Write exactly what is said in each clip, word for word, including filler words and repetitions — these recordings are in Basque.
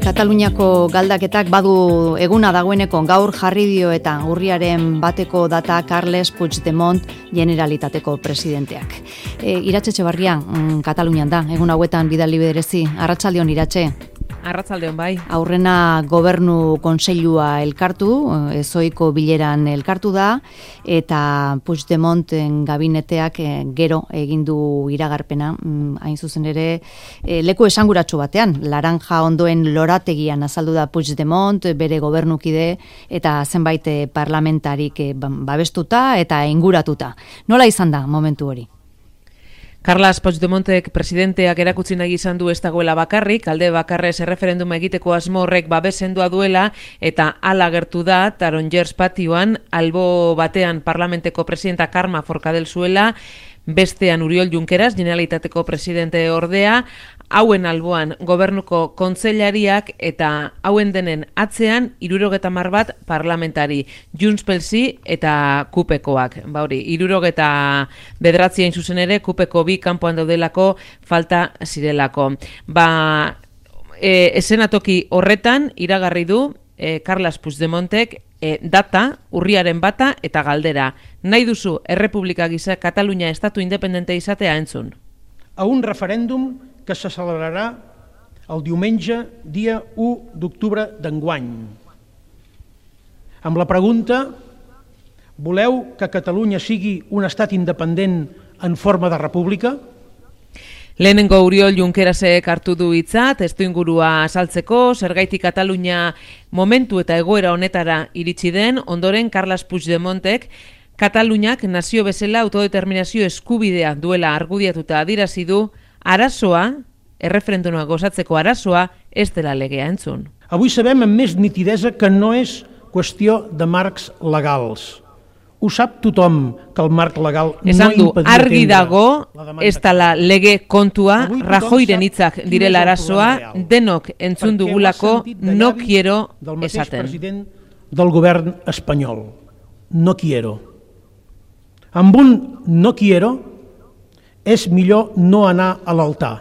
Kataluniako galdaketak badu eguna dagoeneko gaur jarri dio eta urriaren bateko data Carles Puigdemont Generalitateko presidenteak. E, Iratxe Etxebarria, mm, Katalunian da, egun hauetan bidali berezi. Arratsaldeon Iratxe. Arratsaldeon bai. Aurrena gobernu kontseilua elkartu, ezoiko bileran elkartu da, eta Puigdemonten gabineteak gero egin du iragarpena, hain zuzen ere leku esanguratsu batean, laranja ondoen lorategian azaldu da Puigdemont, bere gobernukide eta zenbait parlamentarik babestuta eta inguratuta. Nola izan da momentu hori? Carles Puigdemontek presidenteak erakutsi nahi izan du ez dagoela bakarrik, alde bakarrez erreferenduma egiteko asmo horrek babesendua duela eta hala gertu da Tarongers patioan albo batean parlamenteko presidenta Carme Forcadell zuela, bestean Oriol Junqueras, Generalitateko presidente ordea, hauen alboan gobernuko kontseilariak eta hauen denen atzean hirurogeta hamar bat parlamentari, Junts pel Sí eta Kupekoak. Ba hori, hirurogeta bederatzi hain zuzen ere, Kupeko bi kanpoan daudelako falta zirelako. Ba, e, esenatoki horretan iragarri du e, Carles Puigdemontek E, data, urriaren bata eta galdera. Nahi duzu Errepublika gisa Katalunia estatu independente izatea entzun? A un referèndum que se celebrarà el diumenge dia u d'octubre d'enguany. Amb la pregunta, voleu que Catalunya sigui un estat independent en forma de república? Lehenengo Oriol Junquerasek hartu du hitza, testuingurua azaltzeko, zergaitik Katalunia momentu eta egoera honetara iritsi den, ondoren Carles Puigdemontek Kataluniak nazio bezala autodeterminazio eskubidea duela argudiatuta adierazi du, arazoa, erreferenduma gozatzeko arazoa, ez dela legea entzun. Avui sabem amb més nitidesa que no és qüestió de marcs legals. Ho sap tothom que el marc legal Esan no du, impedia argi atendre dago, la demanda. ez dela lege kontua, Avui tothom Rajoyren sap hitzak quin direla és el arazoa, problema real. denok entzun Perquè ho ha dugulako, sentit de no llavis quiero del mateix esaten. president del govern espanyol. No quiero. Amb un no quiero és millor no anar a l'altar.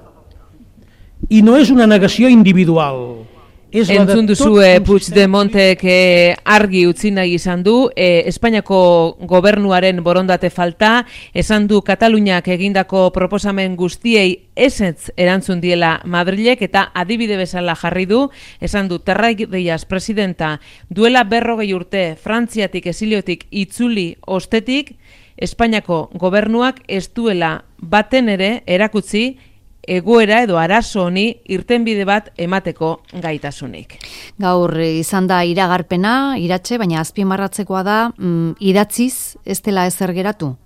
I no és una negació individual. És la de Entzun tot duzue un Puigdemontek eh, argi utzi nahi izan du, eh, Espainiako gobernuaren borondate falta, esan du Kataluniak egindako proposamen guztiei ezetz erantzun diela Madrilek eta adibide bezala jarri du, esan du Terraillas presidenta duela berrogei urte Frantziatik esiliotik itzuli ostetik, Espainiako gobernuak ez duela baten ere erakutsi egoera edo arazo honi irtenbide bat emateko gaitasunik. Gaur izan da iragarpena, Iratxe, baina azpimarratzekoa da, mm, idatziz ez dela ezer geratu?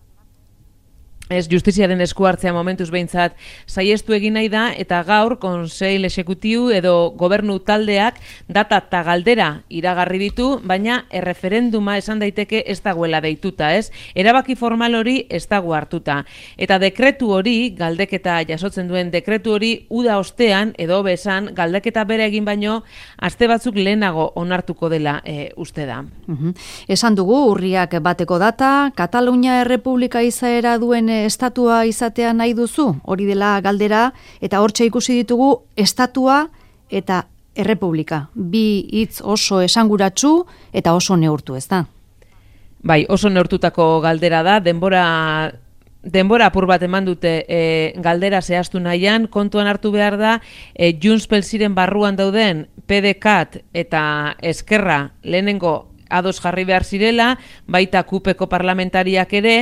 Ez, justiziaren esku hartzea momentuz behintzat saiestu egin nahi da, eta gaur konseil exekutiu edo gobernu taldeak data eta galdera iragarri ditu, baina erreferenduma esan daiteke ez dagoela deituta, ez? Erabaki formal hori ez dago hartuta. Eta dekretu hori, galdeketa jasotzen duen dekretu hori, uda ostean, edo besan, galdeketa bere egin baino, aste batzuk lehenago onartuko dela e, uste da. Uhum. Esan dugu, urriak bateko data, Katalunia Errepublika izaera duen estatua izatea nahi duzu, hori dela galdera, eta hortxe ikusi ditugu estatua eta errepublika. Bi hitz oso esanguratsu eta oso neurtu, ez da? Bai, oso neurtutako galdera da, denbora... Denbora apur bat eman dute e, galdera zehaztu nahian, kontuan hartu behar da, e, Junts pel Síren barruan dauden P D K eta Eskerra lehenengo ados jarri behar zirela, baita Kupeko parlamentariak ere,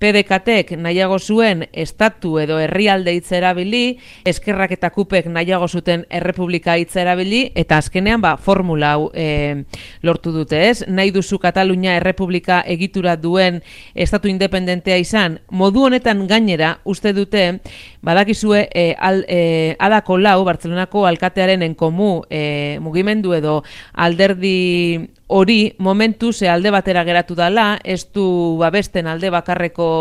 P D K-ek nahiago zuen estatu edo herrialde hitza erabili, Eskerrak eta Kupek nahiago zuten errepublika hitza erabili, eta azkenean ba, formula hau e, lortu dute, ez? Nahi duzu Katalunia errepublika egitura duen estatu independentea izan, modu honetan gainera uste dute, badakizue e, al, e, Adako Lau, Bartzelonako alkatearen enkomu e, mugimendu edo alderdi hori momentu ze alde batera geratu dala, ez du babesten alde bakarreko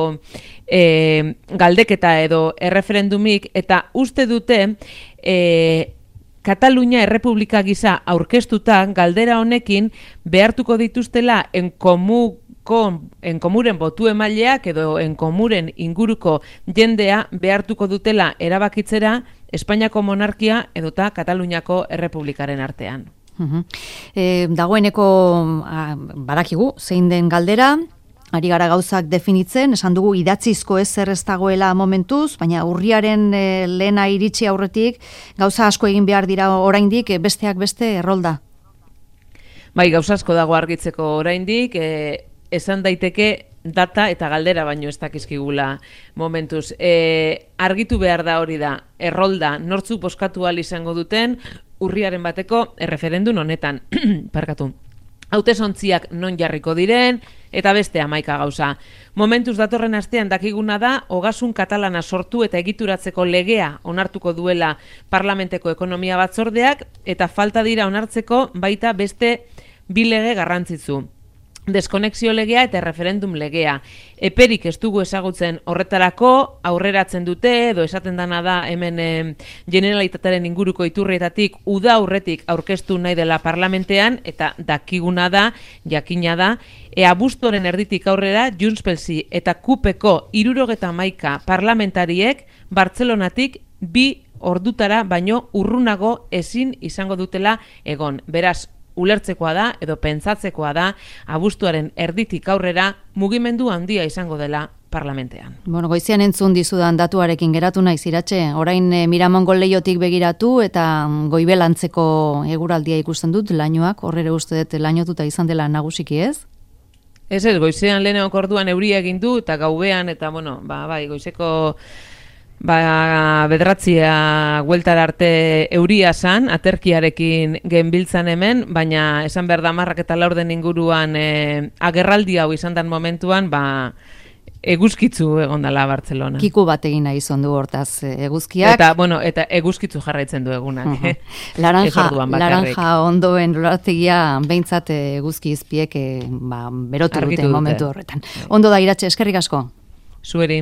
e, galdeketa edo erreferendumik, eta uste dute e, Katalunia Errepublika gisa aurkeztuta galdera honekin behartuko dituztela enkomu Kon, enkomuren botu emaileak edo enkomuren inguruko jendea behartuko dutela erabakitzera Espainiako monarkia edota Kataluniako Errepublikaren artean. Uh-huh. E, dagoeneko a, badakigu, zein den galdera, ari gara gauzak definitzen, esan dugu idatzizko ezer ez dagoela momentuz, baina urriaren e, lehena iritsi aurretik, gauza asko egin behar dira oraindik, e, besteak beste errolda. Bai, gauza asko dago argitzeko oraindik, e, esan daiteke data eta galdera baino ez dakizkigula momentuz. E, argitu behar da hori da, errolda, nortzuk bozkatu ahal izango duten, urriaren bateko erreferendun honetan, parkatu. Hautesontziak non jarriko diren, eta beste hamaika gauza. Momentuz datorren astean dakiguna da, ogasun katalana sortu eta egituratzeko legea onartuko duela parlamenteko ekonomia batzordeak, eta falta dira onartzeko baita beste bi lege garrantzitsu. Deskonexio legea eta referendum legea. Eperik ez dugu ezagutzen horretarako, aurreratzen dute, edo esaten dana da hemen e, Generalitatearen inguruko iturrietatik uda aurretik aurkeztu nahi dela parlamentean, eta dakiguna da, jakina da, e abuztuaren erditik aurrera, Junts pel Sí eta Kupeko hirurogeta hamaika parlamentariek Bartzelonatik bi ordutara baino urrunago ezin izango dutela egon. Beraz, ulertzekoa da edo pentsatzekoa da abuztuaren erditik aurrera mugimendu handia izango dela parlamentean. Bueno, goizean entzun dizudan datuarekin geratu naiz Iratxe, orain e, Miramongo leiotik begiratu eta goibelantzeko eguraldia ikusten dut lainoak, horrere uste dut lainotuta izan dela nagusiki ez? Ez ez, goizean lehenengo orduan euria egin du eta gaubean eta bueno, ba, bai, goizeko Ba, bederatzia gueltara arte euria zan, aterkiarekin genbiltzan hemen, baina esan behar da marrak eta laurden inguruan e, agerraldi hau izan den momentuan, ba, eguzkitzu egon dela Bartzelona. Kiku bat egin nahi izan du hortaz eguzkiak. Eta, bueno, eta eguzkitzu jarraitzen du egunak. Uh -huh. Laranja, laranja ondoen lorategia behintzat eguzki izpiek ba, berotu dute momentu horretan. Ondo da Iratxe, eskerrik asko. Zueri.